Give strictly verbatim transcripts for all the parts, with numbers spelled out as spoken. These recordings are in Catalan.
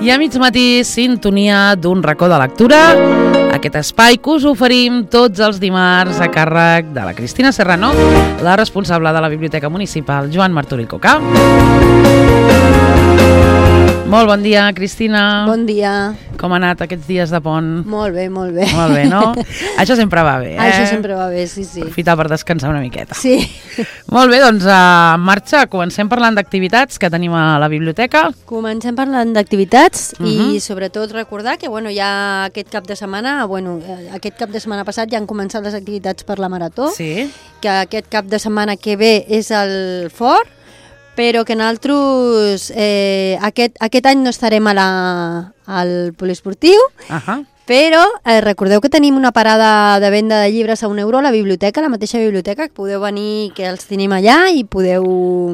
I a mig matí, sintonia d'un racó de lectura, aquest espai que us oferim tots els dimarts a càrrec de la Cristina Serrano, la responsable de la Biblioteca Municipal, Joan Martorell Coca. Molt bon dia, Cristina. Bon dia. Com ha anat aquests dies de pont? Molt bé, molt bé. Molt bé, no? Això sempre va bé, eh? Això sempre va bé, sí, sí. Aprofitar per descansar una miqueta. Sí. Molt bé, doncs en marxa. Comencem parlant d'activitats que tenim a la biblioteca. Comencem parlant d'activitats uh -huh. i sobretot recordar que bueno, ja aquest cap de setmana, bueno, aquest cap de setmana passat ja han començat les activitats per la Marató, Sí. que aquest cap de setmana que ve és el Fort, però que nosaltres eh, aquest, aquest any no estarem a la, al poliesportiu, Ahà. però eh, recordeu que tenim una parada de venda de llibres a un euro a la biblioteca, a la mateixa biblioteca, que podeu venir, que els tenim allà i podeu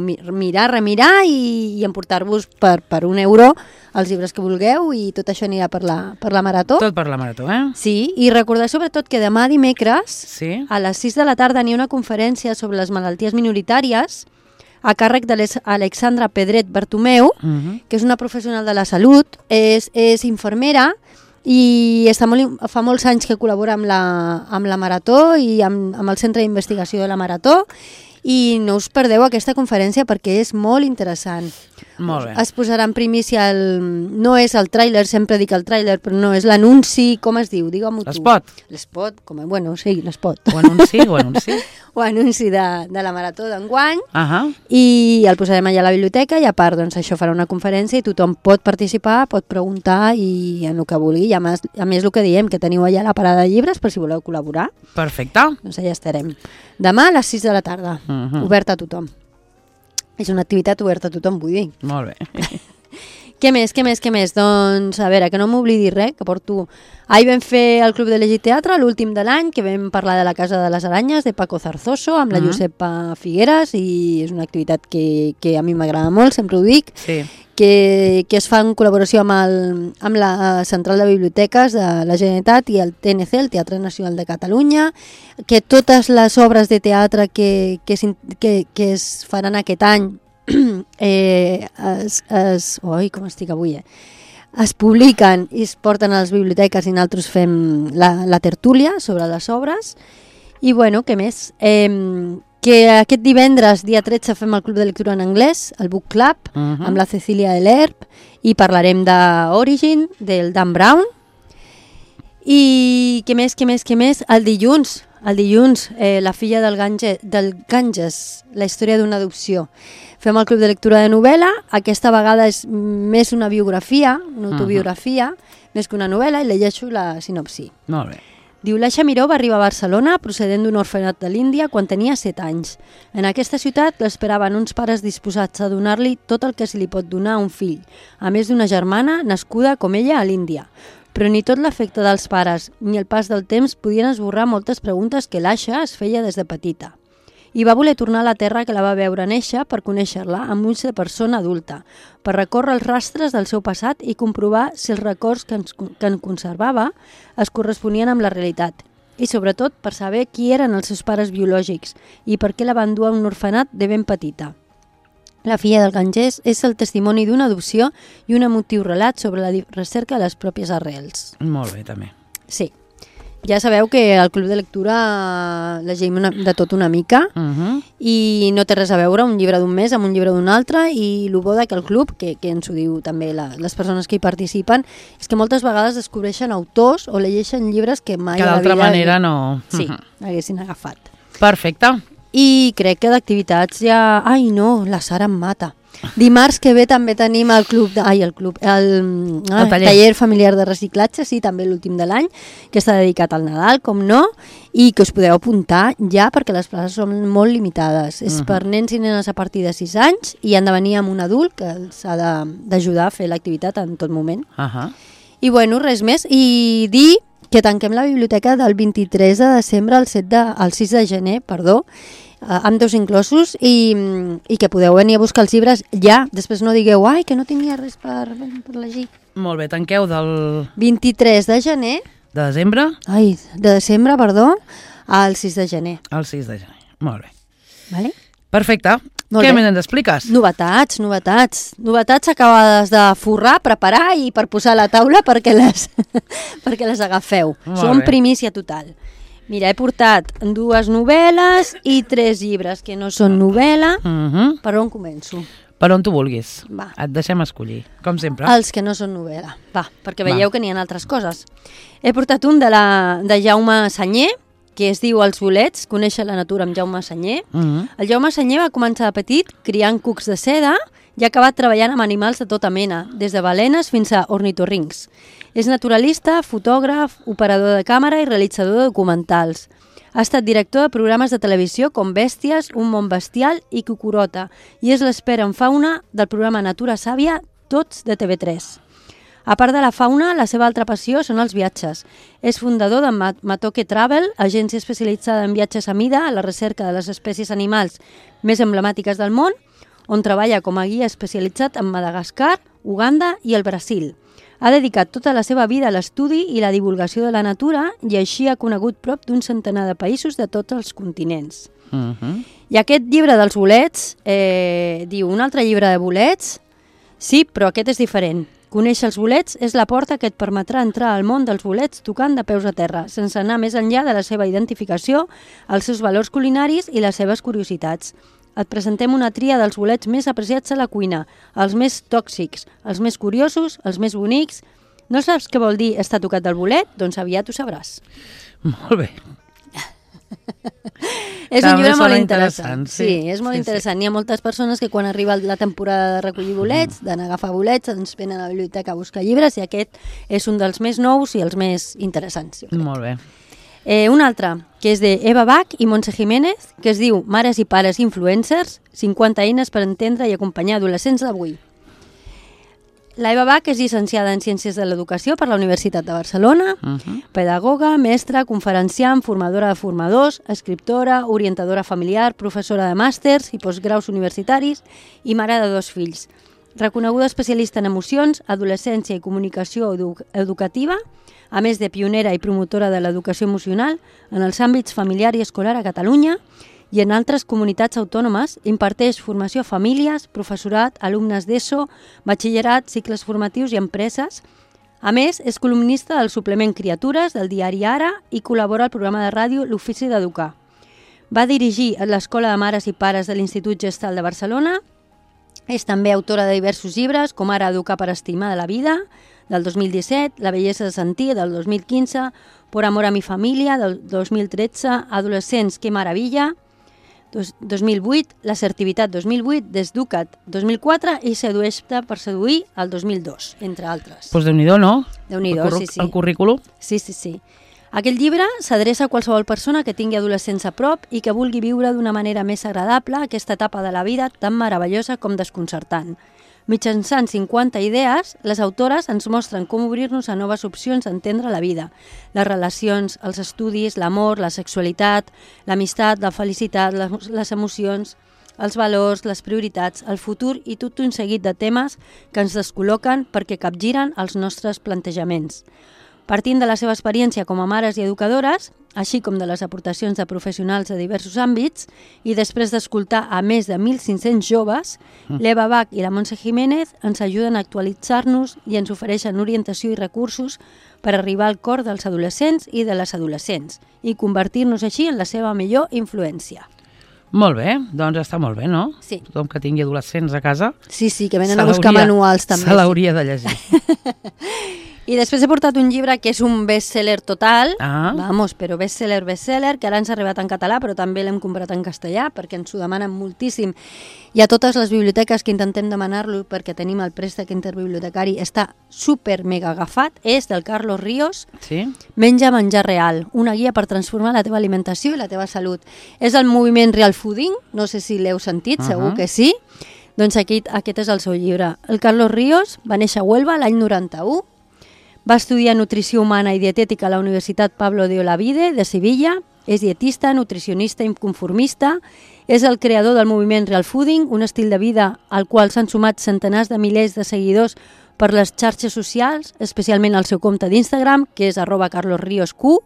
mi mirar, remirar i, i emportar-vos per, per un euro els llibres que vulgueu i tot això anirà per la, per la Marató. Tot per la Marató, eh? Sí, i recordar sobretot que demà dimecres Sí. a les sis de la tarda n'hi ha una conferència sobre les malalties minoritàries a càrrec de l'Alexandra Pedret Bartomeu, Uh -huh. que és una professional de la salut, és, és infermera i està molt, fa molts anys que col·labora amb la, amb la Marató i amb, amb el Centre d'Investigació de la Marató, i no us perdeu aquesta conferència perquè és molt interessant. Molt bé. Es posarà en primícia, el, no és el tràiler, sempre dic el tràiler, però no, és l'anunci, com es diu? Digue-m'ho tu. L'espot. L'espot, com a, bueno, sí, l'espot. O anunci, o anunci. O anunci de, de la Marató d'enguany, Ahà. i el posarem allà a la biblioteca i a part doncs, això farà una conferència i tothom pot participar, pot preguntar i en el que vulgui. I a més, a més el que diem, que teniu allà la parada de llibres per si voleu col·laborar. Perfecte. Doncs allà estarem. Demà a les sis de la tarda, Uh -huh. oberta a tothom. És una activitat oberta a tothom, vull dir. Molt bé. Què més, què més, què més? Doncs, a veure, que no m'oblidi res, que porto... Ahir vam fer el Club de Llegir Teatre, l'últim de l'any, que vam parlar de la Casa de les Aranyes, de Paco Zarzoso, amb la Mhm. Josepa Figueras, i és una activitat que, que a mi m'agrada molt, sempre ho dic, Sí. que, que es fa en col·laboració amb, el, amb la Central de Biblioteques de la Generalitat i el T N C, el Teatre Nacional de Catalunya, que totes les obres de teatre que, que, que, que es faran aquest any eh, es, es, oi, com estic avui, eh? es publiquen i es porten a les biblioteques i nosaltres fem la, la tertúlia sobre les obres. I bueno, què més? Eh, que aquest divendres, dia tretze, fem el Club de Lectura en Anglès, el Book Club, Uh -huh. amb la Cecília Delerp, i parlarem d'Origin, del Dan Brown. I què més, què més, què més? El dilluns, el dilluns, eh, la filla del, Gange, del Ganges, la història d'una adopció. Fem el Club de Lectura de novel·la, aquesta vegada és més una biografia, una autobiografia, uh -huh. més que una novel·la, i llegeixo la sinopsi. Molt bé. Diu, l'Aixa Miró va arribar a Barcelona procedent d'un orfenat de l'Índia quan tenia set anys. En aquesta ciutat l'esperaven uns pares disposats a donar-li tot el que se li pot donar a un fill, a més d'una germana nascuda com ella a l'Índia. Però ni tot l'efecte dels pares ni el pas del temps podien esborrar moltes preguntes que l'Aixa es feia des de petita. I va voler tornar a la terra que la va veure néixer per conèixer-la amb ulls de persona adulta, per recórrer els rastres del seu passat i comprovar si els records que, ens, que en conservava es corresponien amb la realitat. I sobretot per saber qui eren els seus pares biològics i per què la van dur a un orfenat de ben petita. La filla del Ganges és el testimoni d'una adopció i un emotiu relat sobre la recerca de les pròpies arrels. Molt bé, també. Sí. Ja sabeu que al Club de Lectura llegim una, de tot una mica Uh -huh. i no té res a veure un llibre d'un mes amb un llibre d'un altre, i el bo de que el club, que, que ens ho diu també la, les persones que hi participen, és que moltes vegades descobreixen autors o llegeixen llibres que mai Que a la d'altra vida manera no... sí, Uh -huh. haguessin agafat. Perfecte. I crec que d'activitats ja... Ai, no, la Sara em mata. Dimarts que ve també tenim el club... De... Ai, el club... El, ah, El taller. taller familiar de reciclatge, sí, també l'últim de l'any, que està dedicat al Nadal, com no, i que us podeu apuntar ja perquè les places són molt limitades. És Uh -huh. per nens i nenes a partir de sis anys i han de venir amb un adult que els ha de- d'ajudar a fer l'activitat en tot moment. Uh -huh. I bueno, res més. I dir que tanquem la biblioteca del vint-i-tres de desembre al, set de, al sis de gener, perdó, eh, amb dos inclosos, i, i que podeu venir a buscar els llibres ja. Després no digueu, ai, que no tenia res per, per llegir. Molt bé, tanqueu del... vint-i-tres de gener, de desembre ai, de desembre, perdó, al sis de gener. al sis de gener. Molt bé. Vale? Perfecte. Què me n'expliques? Novetats, novetats. Novetats acabades de forrar, preparar i per posar a la taula perquè les, perquè les agafeu. Molt Són bé. primícia total. Mira, he portat dues novel·les i tres llibres que no són novel·la. Uh-huh. Per on començo? Per on tu vulguis. Va. Et deixem escollir, com sempre. Els que no són novel·la. Va, perquè veieu Va. que n'hi ha altres coses. He portat un de, la, de Jaume Sanyer, que es diu Els bolets, conèixer la natura amb Jaume Sanyer. Uh-huh. El Jaume Sanyer va començar de petit criant cucs de seda i ha acabat treballant amb animals de tota mena, des de balenes fins a ornitorrincs. És naturalista, fotògraf, operador de càmera i realitzador de documentals. Ha estat director de programes de televisió com Bèsties, Un món bestial i Cucurota i és l'expert en fauna del programa Natura Sàvia, tots de T V tres. A part de la fauna, la seva altra passió són els viatges. És fundador de Matoke Travel, agència especialitzada en viatges a mida a la recerca de les espècies animals més emblemàtiques del món, on treballa com a guia especialitzat en Madagascar, Uganda i el Brasil. Ha dedicat tota la seva vida a l'estudi i la divulgació de la natura i així ha conegut prop d'un centenar de països de tots els continents. Uh-huh. I aquest llibre dels bolets, eh, diu, un altre llibre de bolets? Sí, però aquest és diferent. Conèixer els bolets és la porta que et permetrà entrar al món dels bolets tocant de peus a terra, sense anar més enllà de la seva identificació, els seus valors culinaris i les seves curiositats. Et presentem una tria dels bolets més apreciats a la cuina, els més tòxics, els més curiosos, els més bonics. No saps què vol dir estar tocat del bolet? Doncs aviat ho sabràs. Molt bé. És També un llibre molt sona interessant. interessant, sí. Sí, és molt Sí, interessant. Hi ha moltes persones que quan arriba la temporada de recollir bolets, d'anar a agafar bolets, doncs venen a la biblioteca a buscar llibres i aquest és un dels més nous i els més interessants. Jo crec. Molt bé. Eh, un altre, que és de Eva Bach i Montse Jiménez, que es diu Mares i pares influencers, cinquanta eines per entendre i acompanyar adolescents d'avui. La Eva Bach és llicenciada en Ciències de l'Educació per la Universitat de Barcelona, Uh-huh. pedagoga, mestra, conferenciant, formadora de formadors, escriptora, orientadora familiar, professora de màsters i postgraus universitaris i mare de dos fills. Reconeguda especialista en emocions, adolescència i comunicació edu educativa, a més de pionera i promotora de l'educació emocional en els àmbits familiar i escolar a Catalunya i en altres comunitats autònomes, imparteix formació a famílies, professorat, alumnes d'ESO, batxillerat, cicles formatius i empreses. A més, és columnista del suplement Criatures del diari Ara i col·labora al programa de ràdio L'Ofici d'Educar. Va dirigir l'Escola de Mares i Pares de l'Institut Gestal de Barcelona. És també autora de diversos llibres, com ara Educar per estimar de la vida, del dos mil disset, La bellesa de sentir, del dos mil quinze, Por amor a mi família, del dos mil tretze, Adolescents, que maravilla, dos mil vuit, L'assertivitat dos mil vuit, Desduca't dos mil quatre i Sedueix-te per seduir el dos mil dos, entre altres. Doncs pues Déu-n'hi-do, no? Déu-n'hi-do, sí, sí. El currículum? Sí, sí, sí. Aquest llibre s'adreça a qualsevol persona que tingui adolescents a prop i que vulgui viure d'una manera més agradable aquesta etapa de la vida tan meravellosa com desconcertant. Mitjançant cinquanta idees, les autores ens mostren com obrir-nos a noves opcions d'entendre la vida, les relacions, els estudis, l'amor, la sexualitat, l'amistat, la felicitat, les, les emocions, els valors, les prioritats, el futur i tot un seguit de temes que ens descol·loquen perquè capgiren els nostres plantejaments. Partint de la seva experiència com a mares i educadores, així com de les aportacions de professionals de diversos àmbits, i després d'escoltar a més de mil cinc-cents joves, mm. l'Eva Bach i la Montse Jiménez ens ajuden a actualitzar-nos i ens ofereixen orientació i recursos per arribar al cor dels adolescents i de les adolescents i convertir-nos així en la seva millor influència. Molt bé, doncs està molt bé, no? Sí. Tothom que tingui adolescents a casa... Sí, sí, que venen a buscar manuals també. Se l'hauria de llegir. I després he portat un llibre que és un best-seller total, ah. vamos, però best-seller, best-seller, que ara ens ha arribat en català, però també l'hem comprat en castellà, perquè ens ho demanen moltíssim. I a totes les biblioteques que intentem demanar-lo, perquè tenim el préstec interbibliotecari, està super mega agafat, és del Carlos Ríos, sí? Menja menjar real, una guia per transformar la teva alimentació i la teva salut. És el moviment Real Fooding, no sé si l'heu sentit, uh-huh. segur que sí. Doncs aquest, aquest és el seu llibre. El Carlos Ríos va néixer a Huelva l'any noranta-u, va estudiar nutrició humana i dietètica a la Universitat Pablo de Olavide de Sevilla, és dietista, nutricionista i conformista, és el creador del moviment Real Fooding, un estil de vida al qual s'han sumat centenars de milers de seguidors per les xarxes socials, especialment al seu compte d'Instagram, que és arroba carlosriosq.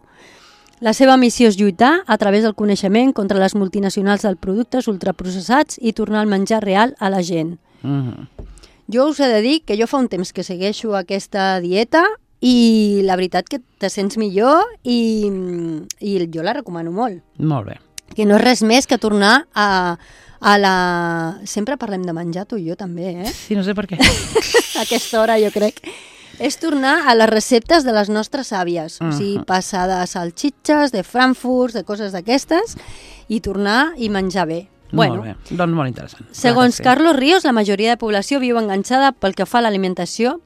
La seva missió és lluitar a través del coneixement contra les multinacionals dels productes ultraprocessats i tornar el menjar real a la gent. Mm-hmm. Jo us he de dir que jo fa un temps que segueixo aquesta dieta i la veritat que te sents millor i, i jo la recomano molt. Molt bé. Que no és res més que tornar a, a la... Sempre parlem de menjar, tu i jo també, eh? Sí, no sé per què. A aquesta hora, jo crec. És tornar a les receptes de les nostres àvies. Uh-huh. O sigui, passar de salxitxes, de frankfurts, de coses d'aquestes, i tornar i menjar bé. Bueno, molt bé, doncs molt interessant. Segons Carlos Ríos, la majoria de població viu enganxada pel que fa a l'alimentació.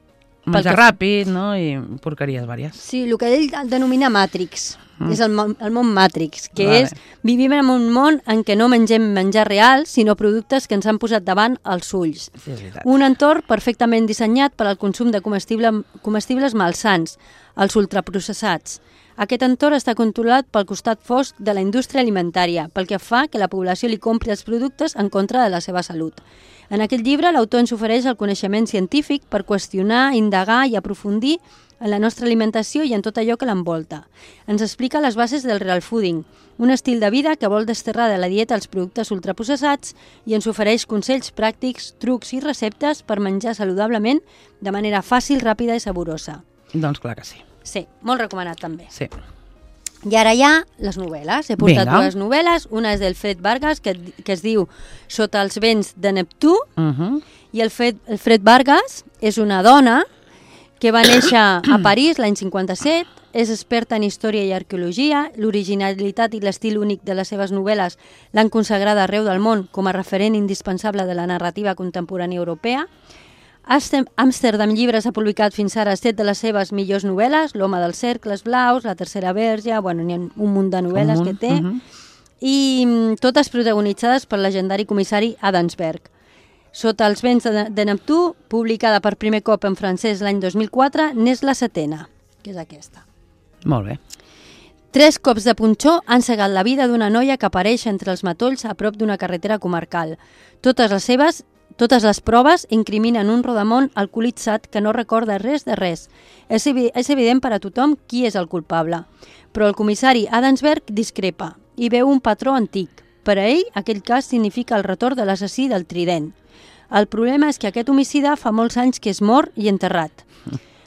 Menjar ràpid, no? I porqueries vàries. Sí, el que ell denomina Matrix. Mm. És el món, el món Matrix, que vale. és vivim en un món en què no mengem menjar real, sinó productes que ens han posat davant els ulls. Sí, és veritat. Un entorn perfectament dissenyat per al consum de comestible, comestibles malsans, els ultraprocessats. Aquest entorn està controlat pel costat fosc de la indústria alimentària, pel que fa que la població li compri els productes en contra de la seva salut. En aquest llibre, l'autor ens ofereix el coneixement científic per qüestionar, indagar i aprofundir en la nostra alimentació i en tot allò que l'envolta. Ens explica les bases del real fooding, un estil de vida que vol desterrar de la dieta els productes ultraprocessats i ens ofereix consells pràctics, trucs i receptes per menjar saludablement de manera fàcil, ràpida i saborosa. Doncs clar que sí. Sí, molt recomanat també. Sí. I ara hi ha les novel·les. He portat Vinga. dues novel·les. Una és del Fred Vargas, que, que es diu Sota els vents de Neptú, Uh-huh. i el Fred, el Fred Vargas és una dona que va néixer a París l'any cinquanta-set, és experta en història i arqueologia, l'originalitat i l'estil únic de les seves novel·les l'han consagrada arreu del món com a referent indispensable de la narrativa contemporània europea. Amsterdam Llibres ha publicat fins ara set de les seves millors novel·les, L'home dels cercles blaus, La tercera verge, bueno, n'hi ha un munt de novel·les Un munt, que té, uh-huh. i mm, totes protagonitzades pel legendari comissari Adamsberg. Sota els vents de, de Neptú, publicada per primer cop en francès l'any dos mil quatre, n'és la setena, que és aquesta. Molt bé. Tres cops de punxó han cegat la vida d'una noia que apareix entre els matolls a prop d'una carretera comarcal. Totes les seves, totes les proves incriminen un rodamón alcoholitzat que no recorda res de res. És, evi és evident per a tothom qui és el culpable. Però el comissari Adamsberg discrepa i veu un patró antic. Per a ell, aquell cas significa el retorn de l'assassí del trident. El problema és que aquest homicida fa molts anys que és mort i enterrat.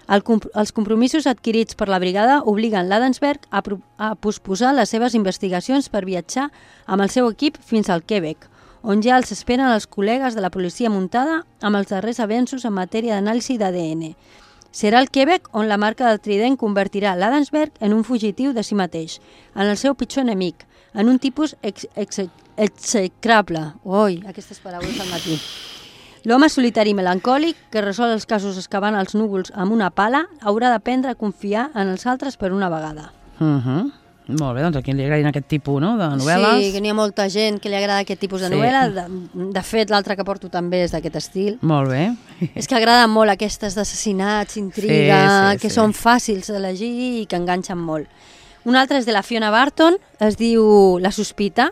El comp els compromisos adquirits per la brigada obliguen l'Adamsberg a, a posposar les seves investigacions per viatjar amb el seu equip fins al Quebec, on ja els esperen els col·legues de la policia muntada amb els darrers avenços en matèria d'anàlisi d'A D N. Serà el Quebec on la marca del trident convertirà l'Adamsberg en un fugitiu de si mateix, en el seu pitjor enemic, en un tipus ex ex execrable. Ui, aquestes paraules al matí. L'home solitari i melancòlic, que resol els casos excavant els núvols amb una pala, haurà d'aprendre a confiar en els altres per una vegada. Uh-huh. Molt bé, doncs a qui li agradin aquest tipus, no?, de novel·les. Sí, que n'hi ha molta gent que li agrada aquest tipus de Sí. novel·la. De, de fet, l'altre que porto també és d'aquest estil. Molt bé. És que agraden molt aquestes d'assassinats, intriga, Sí, sí, que sí. són fàcils d'elegir i que enganxen molt. Un altre és de la Fiona Barton, es diu La sospita.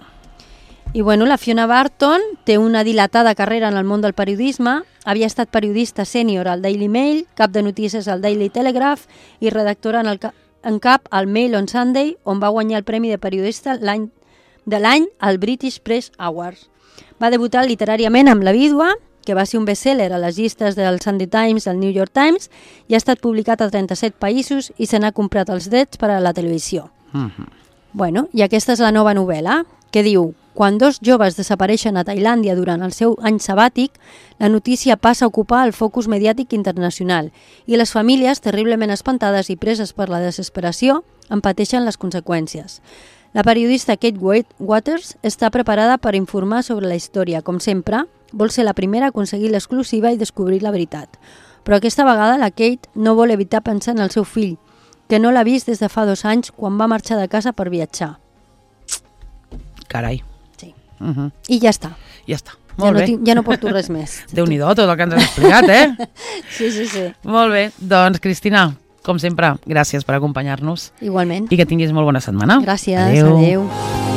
I bueno, la Fiona Barton té una dilatada carrera en el món del periodisme, havia estat periodista sènior al Daily Mail, cap de notícies al Daily Telegraph i redactora en, el ca en cap al Mail on Sunday, on va guanyar el Premi de Periodista l'any de l'any al British Press Awards. Va debutar literàriament amb La vídua, que va ser un best-seller a les llistes del Sunday Times i el New York Times, i ha estat publicat a trenta-set països i se n'ha comprat els drets per a la televisió. Uh-huh. Bueno, i aquesta és la nova novel·la, que diu: quan dos joves desapareixen a Tailàndia durant el seu any sabàtic, la notícia passa a ocupar el focus mediàtic internacional i les famílies, terriblement espantades i preses per la desesperació, en pateixen les conseqüències. La periodista Kate Waters està preparada per informar sobre la història. Com sempre, vol ser la primera a aconseguir l'exclusiva i descobrir la veritat. Però aquesta vegada la Kate no vol evitar pensar en el seu fill, que no l'ha vist des de fa dos anys quan va marxar de casa per viatjar. Carai. Sí. Uh-huh. I ja està. Ja està. Ja Molt no, bé. tinc, ja no porto res més. Déu-n'hi-do tot el que ens has explicat, eh? Sí, sí, sí. Molt bé. Doncs, Cristina, com sempre, gràcies per acompanyar-nos Igualment. i que tinguis molt bona setmana. Gràcies. Adéu. Adéu.